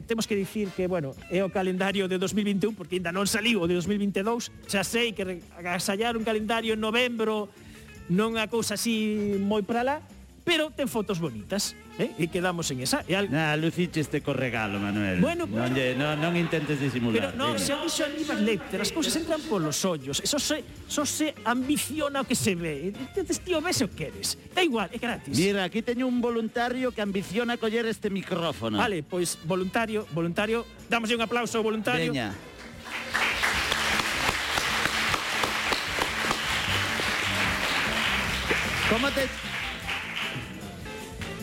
Temos que dicir que, bueno, é o calendario de 2021 porque ainda non saliu o de 2022. Xa sei que agasallar un calendario en novembro non é a cousa así moi para lá, pero ten fotos bonitas, e quedamos en esa. Luciche este co regalo, Manuel. Bueno, non intentes disimular. Pero non, se han dixo ali as letras, as cousas entran polos ollos, eso se ambiciona o que se ve. Entonces, tío, ves o que eres. Da igual, é gratis. Mira, aquí teño un voluntario que ambiciona coller este micrófono. Vale, pois voluntario, dámoslle un aplauso ao voluntario. Veña.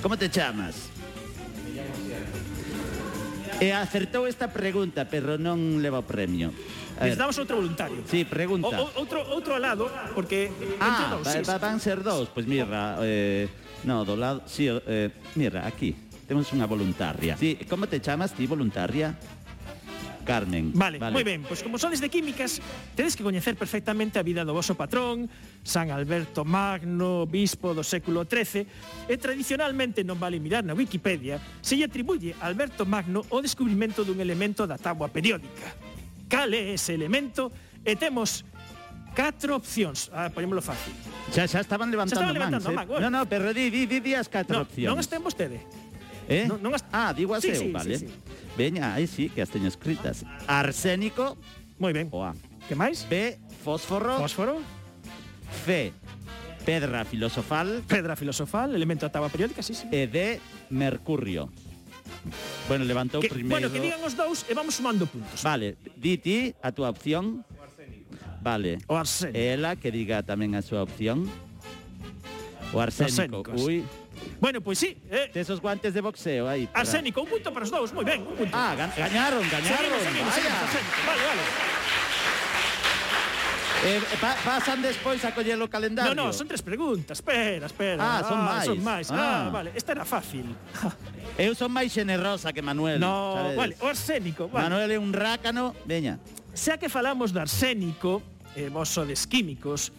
Como te chamas? E acertou esta pregunta, pero non leva o premio. Necesitamos outro voluntario. Sí, pregunta. Outro ao lado, porque... Van ser 2. Pois mira, do lado... Sí, mira, aquí. Temos unha voluntaria. Sí, como te chamas ti, voluntaria? Carmen. Vale, moi ben, pois como sodes de químicas, tedes que coñecer perfectamente a vida do voso patrón, San Alberto Magno, bispo do século XIII, e tradicionalmente non vale mirar na Wikipedia se lle atribuye a Alberto Magno o descubrimento dun elemento da táboa periódica. Cal é ese elemento? E temos 4 opcións. Poñémolo fácil. Xa estaban levantando mans. No, pero di as 4 opcións. Non estén vostede. Digo as eu, vale. Sí. Veña, aí sí, que as teño escritas. Arsénico. Moi ben. O A. Que máis? B, fósforo. C, pedra filosofal. Elemento da táboa periódica, sí. E D, mercurio. Bueno, levantou primeiro... Bueno, que digan os 2 e vamos sumando puntos. Vale, di ti a túa opción. Vale. O arsénico. Ela que diga tamén a súa opción. O arsénico. Ui. Bueno, pois sí. Tes os guantes de boxeo aí. Arsénico, un punto para os 2, moi ben, un punto. Gañaron. Seguimos. Vale. Pasan despois a coller o calendario. No, son 3 preguntas. Espera. Son máis. Vale, esta era fácil. Eu son máis xenerosa que Manuel. No, sabedes? Vale, o arsénico. Vale. Manuel é un rácano. Veña. Xa que falamos do arsénico, vos sodes químicos,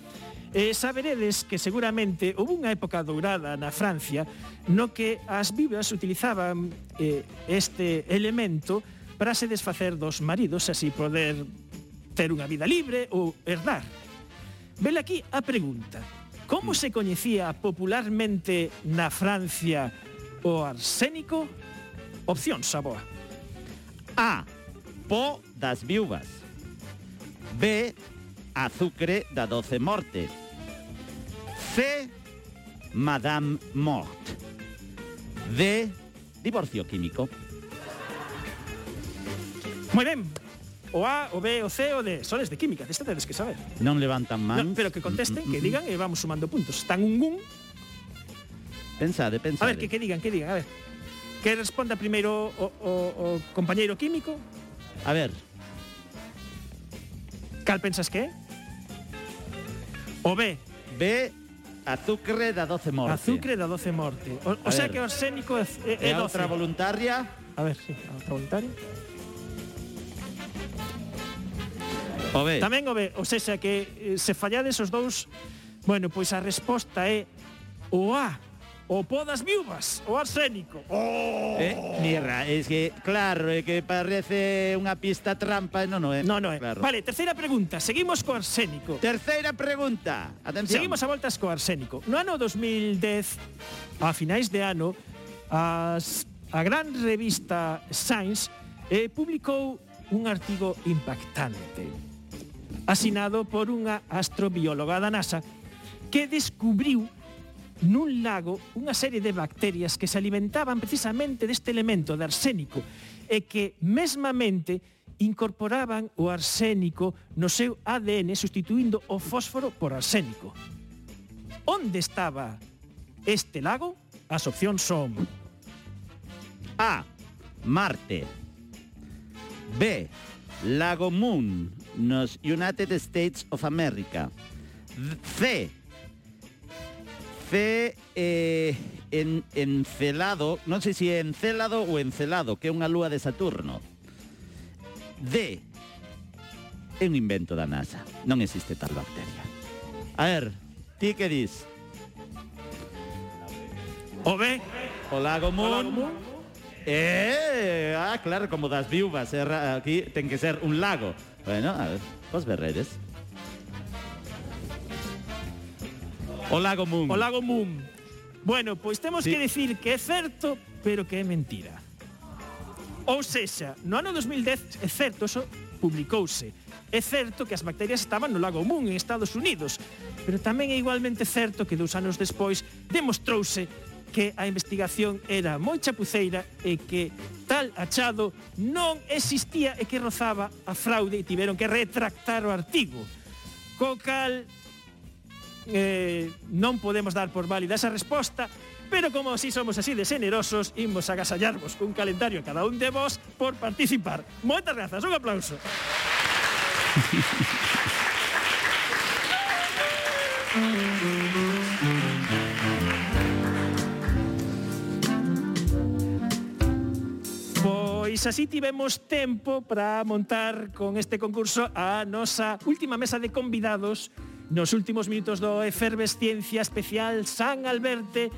saberedes que seguramente houve unha época dourada na Francia no que as vivas utilizaban este elemento para se desfacer dos maridos, así poder ter unha vida libre ou herdar. Vele aquí a pregunta. Como se coñecía popularmente na Francia o arsénico? Opcións, Saboa. A, po das viúvas. B, azucre da 12 morte. C, Madame Mort. D, divorcio químico. Moi ben. O A, o B, o C, o D. Sones de química, desta tedes que saber. Non levantan mans. No, pero que contesten, que digan e vamos sumando puntos. Están un. Pensade. A ver, que digan, a ver. Que responda primeiro o compañeiro químico. A ver. Cal pensas que é? O B. B, azucre da 12 morte. Azucre da 12 morte. O sea que o arsénico é 12. E a outra voluntaria? A ver, sí, a outra voluntaria. O B. Tamén o B, ou seja que se fallades os 2, bueno, pois a resposta é o A, o po das viúvas, o arsénico. Mira, es que, claro, é que parece unha pista trampa, non é. Non é. Claro. Vale, terceira pregunta, seguimos co arsénico. Terceira pregunta, atención. Seguimos a voltas co arsénico. No ano 2010, a finais de ano, a gran revista Science publicou un artigo impactante, asinado por unha astrobióloga da NASA que descubriu nun lago unha serie de bacterias que se alimentaban precisamente deste elemento de arsénico e que mesmamente incorporaban o arsénico no seu ADN sustituindo o fósforo por arsénico. Onde estaba este lago? As opcións son: A, Marte. B. Lago Moon, nos United States of America. C. Encelado, non sei se é Encélado ou Encelado, que é unha lúa de Saturno. D. É un invento da NASA, non existe tal bacteria. A ver, ti que dis? O B. O Lago Moon. Claro, como das viúvas, aquí ten que ser un lago. Bueno, a ver, vos verredes. O Lago Moon. O Lago Moon. Bueno, pois temos que decir que é certo, pero que é mentira. Ou sexa, no ano 2010, é certo, eso publicouse. É certo que as bacterias estaban no Lago Moon, en Estados Unidos, pero tamén é igualmente certo que 2 anos despois demostrouse que a investigación era moi chapuceira e que tal achado non existía e que rozaba a fraude e tiveron que retractar o artigo. Co cal non podemos dar por válida esa resposta, pero como si somos así de generosos, imos agasallarvos cun calendario a cada un de vos por participar. Moitas grazas, un aplauso. Pois así tivemos tempo para montar con este concurso a nosa última mesa de convidados nos últimos minutos do Efervesciencia Especial San Alberte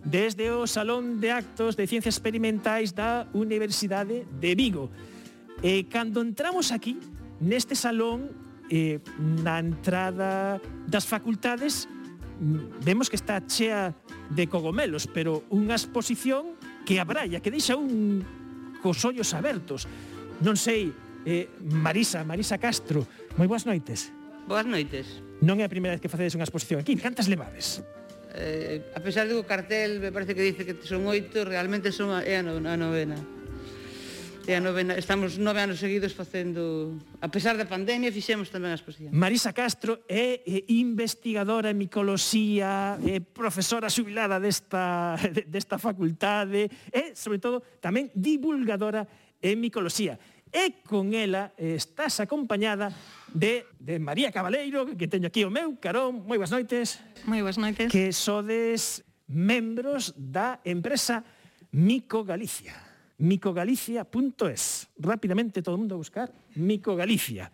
desde o Salón de Actos de Ciencias Experimentais da Universidade de Vigo. E cando entramos aquí, neste salón, na entrada das facultades, vemos que está chea de cogomelos, pero unha exposición que abralla, que deixa cos ollos abertos. Non sei, Marisa Castro, moi boas noites. Boas noites. Non é a primeira vez que facedes unha exposición aquí. Cantas levades? A pesar do cartel, me parece que dice que son 8, realmente é a novena. É a novena. Estamos 9 anos seguidos facendo... A pesar da pandemia, fixemos tamén a exposición. Marisa Castro é investigadora en micoloxía, é profesora xubilada desta facultade e, sobre todo, tamén divulgadora en micoloxía. E con ela estás acompañada de María Cabaleiro, que teño aquí o meu carón. Moi boas noites. Moi boas noites. Que sodes membros da empresa Micogalicia. Micogalicia.es. Rápidamente todo o mundo a buscar Micogalicia.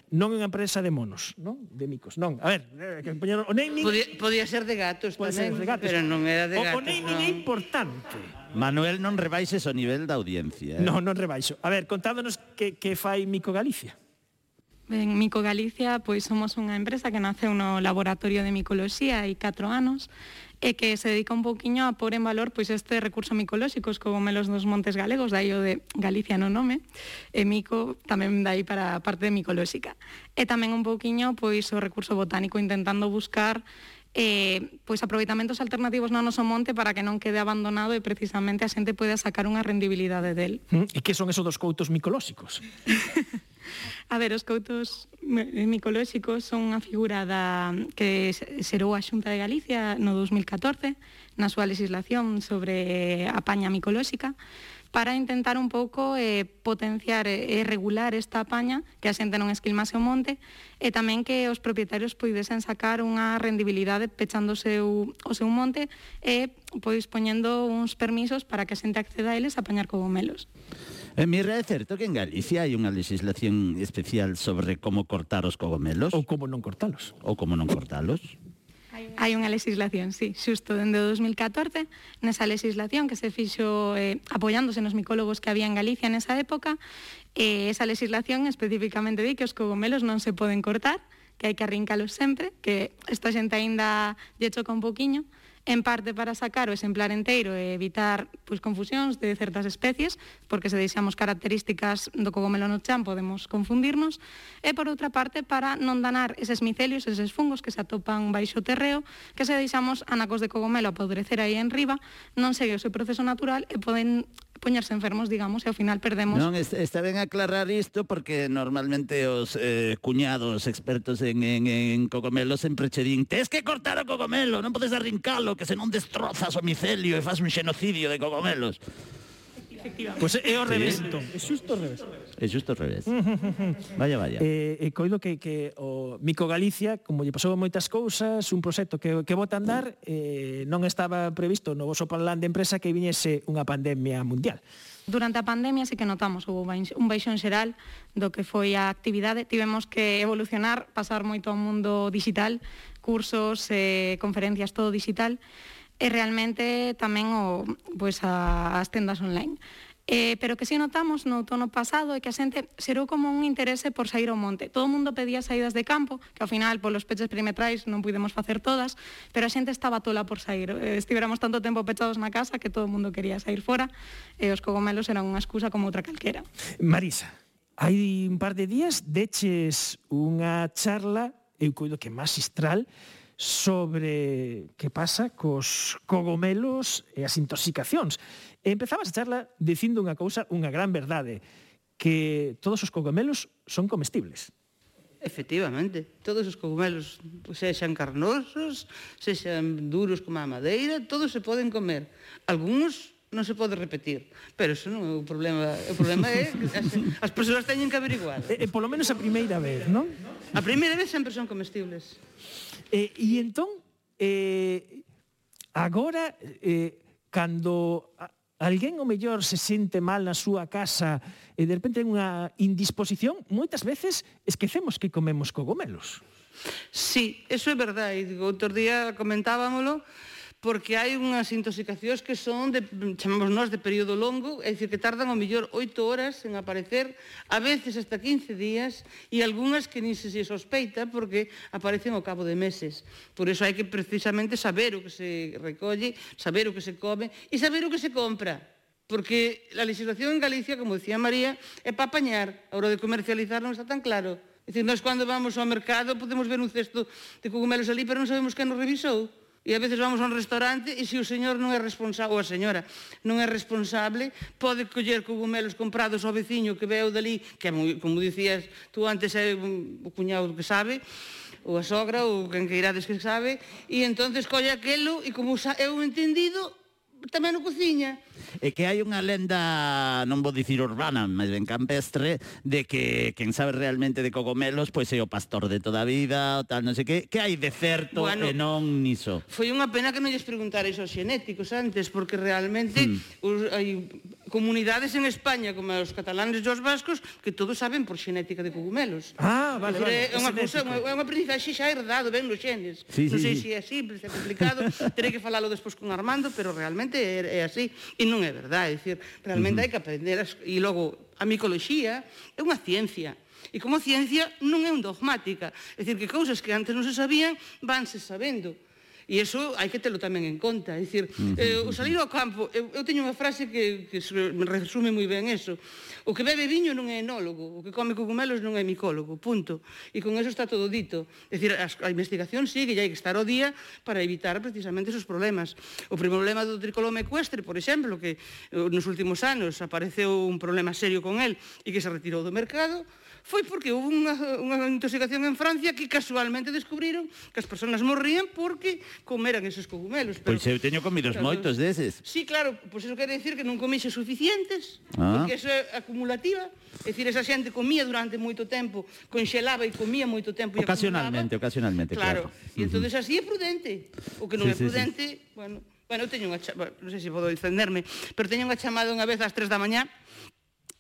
Non é unha empresa de monos, non? De micos, non. A ver, que poñeron o naming... Podía ser de gatos tamén, pero non era de gatos. O naming é importante. Manuel, non rebaixes o nivel da audiencia. Non rebaixo. A ver, contádonos que fai Micogalicia. Ben, Micogalicia, pois somos unha empresa que naceu no laboratorio de micoloxía hai 4 anos e que se dedica un pouquiño a pôr en valor pois este recurso micolóxico, os cogomelos dos montes galegos, dai o de Galicia no nome, e mico tamén dai para a parte micolóxica. E tamén un pouquiño pois o recurso botánico intentando buscar pois aproveitamentos alternativos no noso monte para que non quede abandonado e precisamente a xente poida sacar unha rendibilidade del. E que son esos dos coutos micolóxicos? A ver, os coutos micolóxicos son unha figura que xerou a Xunta de Galicia no 2014 na súa legislación sobre a paña micolóxica para intentar un pouco potenciar e regular esta paña, que a xente non esquilmase o monte, e tamén que os propietarios poidesen sacar unha rendibilidade pechando o seu monte e pois poñendo uns permisos para que a xente acceda a eles a pañar cogomelos. Mira, é certo que en Galicia hai unha legislación especial sobre como cortar os cogomelos? Ou como non cortalos. Hai unha legislación, sí, xusto dende o 2014, nesa legislación que se fixo apoiándose nos micólogos que había en Galicia nesa época, esa legislación especificamente di que os cogomelos non se poden cortar, que hai que arrincalos sempre, que esta xente aínda lle choca un poquiño, en parte para sacar o exemplar enteiro e evitar pois, confusións de certas especies, porque se deixamos características do cogomelo no chan podemos confundirnos, e por outra parte para non danar eses micelios, eses fungos que se atopan baixo o terreo, que se deixamos anacos de cogomelo a podrecer aí en riba, non segue o seu proceso natural e poden poñerse enfermos, digamos, e ao final perdemos... Non, está ben aclarar isto porque normalmente os cuñados expertos en cogomelos sempre che din tes que cortar o cogomelo, non podes arrincalo, que senón destrozas o micelio e faz un xenocidio de cogomelos. Pois é ao revés, entón. É xusto ao revés. É xusto ao revés. Vaya. Coido que o Mico Galicia, como lle pasou moitas cousas, un proxecto que bota a andar, non estaba previsto no voso plan de empresa que viñese unha pandemia mundial. Durante a pandemia sí que notamos un baixón xeral do que foi a actividade. Tivemos que evolucionar, pasar moito ao mundo digital, cursos, conferencias, todo digital, e realmente tamén as tendas online. Pero que si notamos no outono pasado é que a xente xerou como un interese por sair ao monte. Todo o mundo pedía saídas de campo, que ao final polos peches perimetrais non pudemos facer todas, pero a xente estaba tola por sair. Estivéramos tanto tempo pechados na casa que todo o mundo quería sair fora e os cogomelos eran unha excusa como outra calquera. Marisa, hai un par de días deches unha charla, eu coido que magistral, sobre que pasa cos cogomelos e as intoxicacións. E empezabas a charla dicindo unha cousa, unha gran verdade, que todos os cogomelos son comestibles. Efectivamente, todos os cogomelos, sexan carnosos, sexan duros como a madeira, todos se poden comer. Algúns non se pode repetir, pero eso non é o problema. O problema é que as persoas teñen que averiguar. Polo menos a primeira vez, non? A primeira vez sempre son comestibles. E entón, agora, cando alguén o mellor se sente mal na súa casa e de repente ten unha indisposición, moitas veces esquecemos que comemos cogomelos. Sí, eso é verdade. Outro día comentábamolo, porque hai unhas intoxicacións que son, chamamos nós, de período longo, é dicir, que tardan ao mellor 8 horas en aparecer, a veces hasta 15 días, e algunhas que nin se sospeita porque aparecen ao cabo de meses. Por iso hai que precisamente saber o que se recolle, saber o que se come e saber o que se compra. Porque a legislación en Galicia, como decía María, é para apañar. A hora de comercializar non está tan claro. É dicir, nós cando vamos ao mercado podemos ver un cesto de cogumelos ali, pero non sabemos quen nos revisou. E a veces vamos a un restaurante e se o señor non é responsable, ou a señora non é responsable, pode coller cogumelos comprados ao veciño que veu dali, que é, como dicías tú antes, é o cuñado que sabe, ou a sogra, ou quen que irades que sabe, e entonces colle aquelo e como eu entendido, tamén o cociña. É que hai unha lenda, non vou dicir urbana, mas ben campestre, de que quen sabe realmente de cogomelos pois é o pastor de toda a vida, o tal, non sei que hai de certo e non niso. Foi unha pena que non lles preguntarais aos xenéticos antes, porque realmente hai comunidades en España, como os catalanes e os vascos, que todos saben por xenética de cogumelos. Vale. É unha cousa, é unha aprendizaxe xa herdado, ben nos xenes. Non sei se é simple, se é complicado, terei que falalo despois con Armando, pero realmente é así, e non é verdade, é dicir, realmente hai que aprender, e logo a micoloxía é unha ciencia, e como ciencia non é un dogmática, é dicir, que cousas que antes non se sabían, vanse sabendo. E iso hai que telo tamén en conta. É dicir, o salir ao campo, eu teño unha frase que me resume moi ben eso. O que bebe viño non é enólogo, o que come cogumelos non é micólogo, punto. E con eso está todo dito. É dicir, a investigación sigue e hai que estar ao día para evitar precisamente esos problemas. O problema do tricoloma ecuestre, por exemplo, que nos últimos anos apareceu un problema serio con el e que se retirou do mercado, foi porque houve unha intoxicación en Francia que casualmente descubriron que as persoas morrían porque comeran esos cogumelos. Pois eu teño comidos moitos deses. Sí, claro, pois eso quere dicir que non comixe suficientes, porque eso é acumulativa. É dicir, esa xente comía durante moito tempo, conxelaba e comía moito tempo e ocasionalmente, claro. E entón así é prudente. O que non é prudente, bueno, eu teño unha chamada, non sei se podo defenderme, pero teño unha chamada unha vez ás 3 da mañá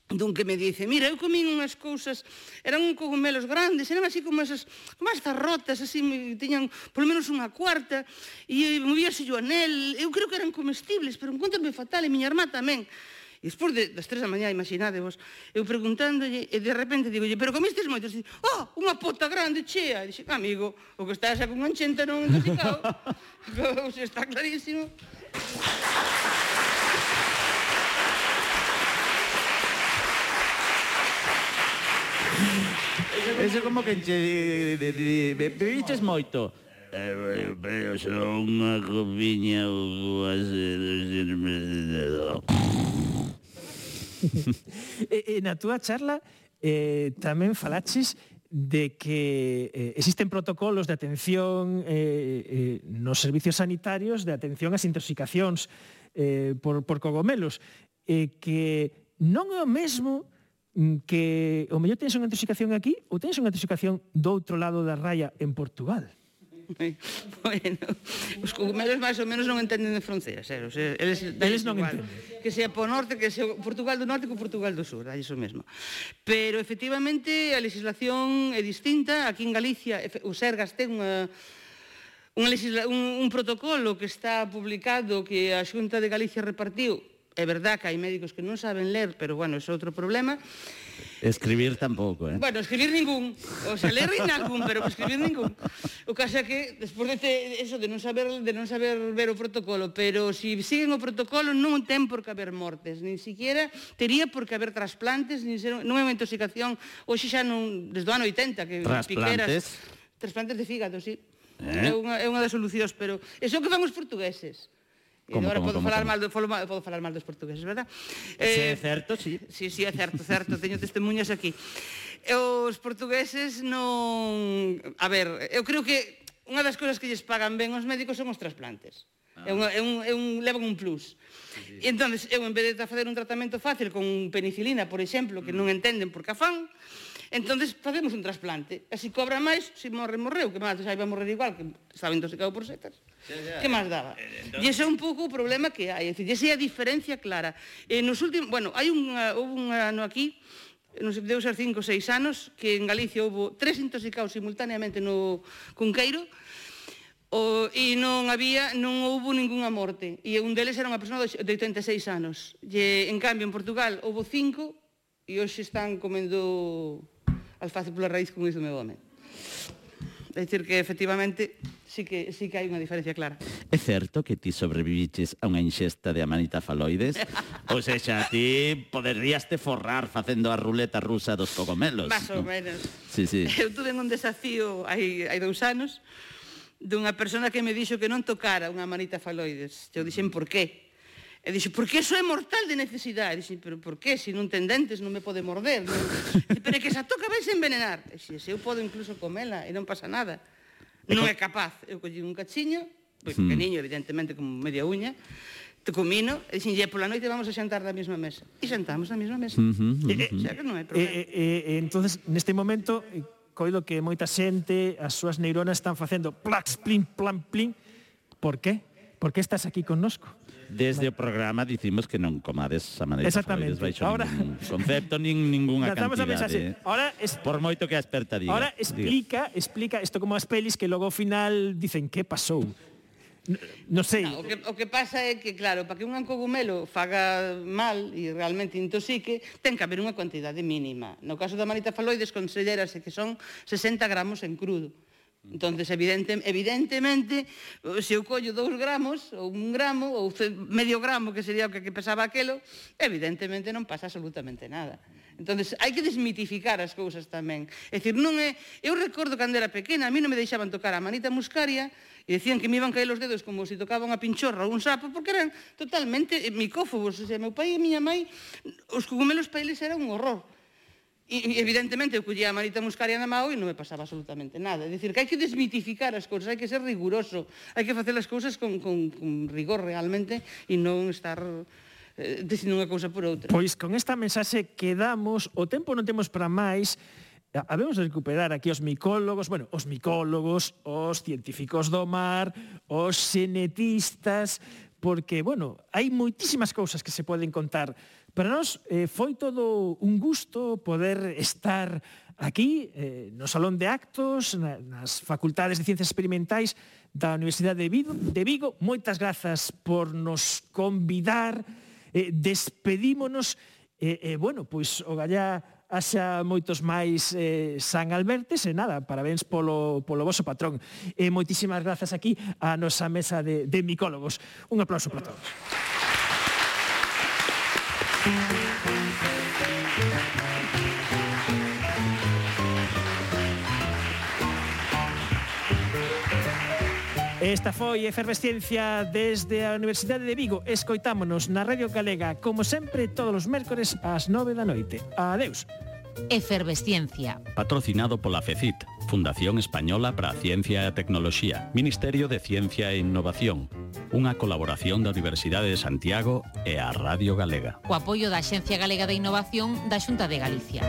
dun que me dice, mira, eu comín unhas cousas, eran cogumelos grandes, eran así como esas rotas, así, tiñan polo menos unha cuarta, e movíase o anel, eu creo que eran comestibles, pero encontrame fatal, e miña irmá tamén. E despois das 3 da mañá, imaginadevos, eu preguntándolle, e de repente digolle, pero comistes moitos? E unha pota grande, chea. E dixe, amigo, o que estás con unha enchenta non intoxicado. Está clarísimo. Eso como que bebiches moito. Pero son unha copiña ou E na túa charla tamén falaches de que existen protocolos de atención nos servicios sanitarios de atención ás intoxicacións por cogomelos. que non é o mesmo que o mellor tens unha intoxicación aquí ou tens unha intoxicación do outro lado da raya en Portugal. Bueno, os cogumelos máis ou menos non entenden de fronteiras, eles non entenden. Que sea po norte, que sea Portugal do norte ou Portugal do sur, aí iso mesmo. Pero efectivamente a legislación é distinta. Aquí en Galicia o Sergas ten un protocolo que está publicado que a Xunta de Galicia repartiu. É verdad que hai médicos que non saben ler, pero bueno, é outro problema. Escribir tampouco, Bueno, escribir ningún. O sea, ler ningún, pero escribir ningún. O caso é que, despois de eso, de non saber ver o protocolo, pero se siguen o protocolo non ten por que haber mortes, nin siquiera tería por que haber trasplantes, non é unha intoxicación, hoxe xa non, desde o ano 80, que piqueras... Trasplantes de fígado, sí. É unha das solucións, pero é o que fan os portugueses. Agora podo falar mal dos portugueses, verdad? Se é certo, sí. Sí, é certo, teño testemunhas aquí. Os portugueses non... A ver, eu creo que unha das cousas que lles pagan ben os médicos son os trasplantes. Levan un plus. E entón, eu en vez de facer un tratamento fácil con penicilina, por exemplo, que non entenden por que a fan, entón facemos un trasplante. Así cobra máis, se morreu, que máis, xa iba a morrer igual, que estaba intoxicado por setas. Que máis daba? E ese é un pouco o problema que hai, esa é a diferencia clara. Nos últimos, bueno, houve un ano aquí, non sei, deu ser 5 ou 6 anos, que en Galicia houve 3 intoxicados simultaneamente no Cunqueiro, e non houve ningunha morte. E un deles era unha persona de 86 anos. E, en cambio, en Portugal houve 5 e hoxe están comendo alface pola raíz, como dice o meu home. É dicir que, efectivamente, sí que hai unha diferencia clara. É certo que ti sobreviviches a unha inxesta de amanita faloides? Ou seja, ti poderías te forrar facendo a ruleta rusa dos cogomelos. Más ou menos. Sí. Eu tuve un desafío hai 2 anos dunha persona que me dixo que non tocara unha amanita faloides. Eu dixen, por qué? E dixo, porque eso é mortal de necesidade. E dixen, pero por qué? Se non ten dentes non me pode morder. Pero é que se a toca vais a envenenar. E dixen, eu podo incluso comela e non pasa nada. Non é capaz. Eu collí un cachiño, pequeniño, evidentemente, como media uña, te comino, e dixen, pola noite vamos a xantar da mesma mesa. E xantamos na mesma mesa. Xa que non hai problema. Entonces, neste momento, coido que moita xente, as súas neuronas están facendo plax, plin, plan, plin. Por qué? Por que estás aquí connosco? Desde o programa dicimos que non comades a maneira faloides baixo ningún concepto, ningunha cantidade. Por moito que a experta diga. Ahora explica isto como as pelis que logo ao final dicen que pasou. Non sei. O que pasa é que, claro, para que un cogumelo faga mal e realmente intoxique, ten que haber unha cuantidade mínima. No caso da amanita faloides, considerase que son 60 gramos en crudo. Entonces, evidentemente, se eu collo 2 gramos, ou 1 gramo, ou medio gramo, que sería o que pesaba aquelo, evidentemente non pasa absolutamente nada. Entonces, hai que desmitificar as cousas tamén. É dicir, non é... Eu recordo cando era pequena, a mí non me deixaban tocar a manita muscaria, e decían que me iban caer os dedos como se tocaba unha pinchorra ou un sapo, porque eran totalmente micófobos. O sea, meu pai e miña mãe, os cogumelos para eles era un horror. E evidentemente eu collía a manita muscaria na mão e non me pasaba absolutamente nada. É dicir, que hai que desmitificar as cousas, hai que ser riguroso, hai que facer as cousas con rigor realmente e non estar dicindo unha cousa por outra. Pois con esta mensaxe quedamos, o tempo non temos para máis. Habemos de recuperar aquí os micólogos, os científicos do mar, os xenetistas, porque, hai moitísimas cousas que se poden contar. Para nós foi todo un gusto poder estar aquí no Salón de Actos, nas Facultades de Ciencias Experimentais da Universidade de Vigo. Moitas grazas por nos convidar, despedímonos, pois o gallá haxa moitos máis San Albertes e nada, parabéns polo voso patrón. Moitísimas grazas aquí a nosa mesa de micólogos. Un aplauso para todos. Esta foi Efervesciencia desde a Universidade de Vigo. Escoitámonos na Radio Galega, como sempre, todos os mércores ás 9 da noite. Adeus. Efervesciencia. Patrocinado pola FECIT, Fundación Española para a Ciencia e a Tecnoloxía, Ministerio de Ciencia e Innovación. Unha colaboración da Universidade de Santiago e a Radio Galega. O apoio da Axencia Galega de Innovación da Xunta de Galicia.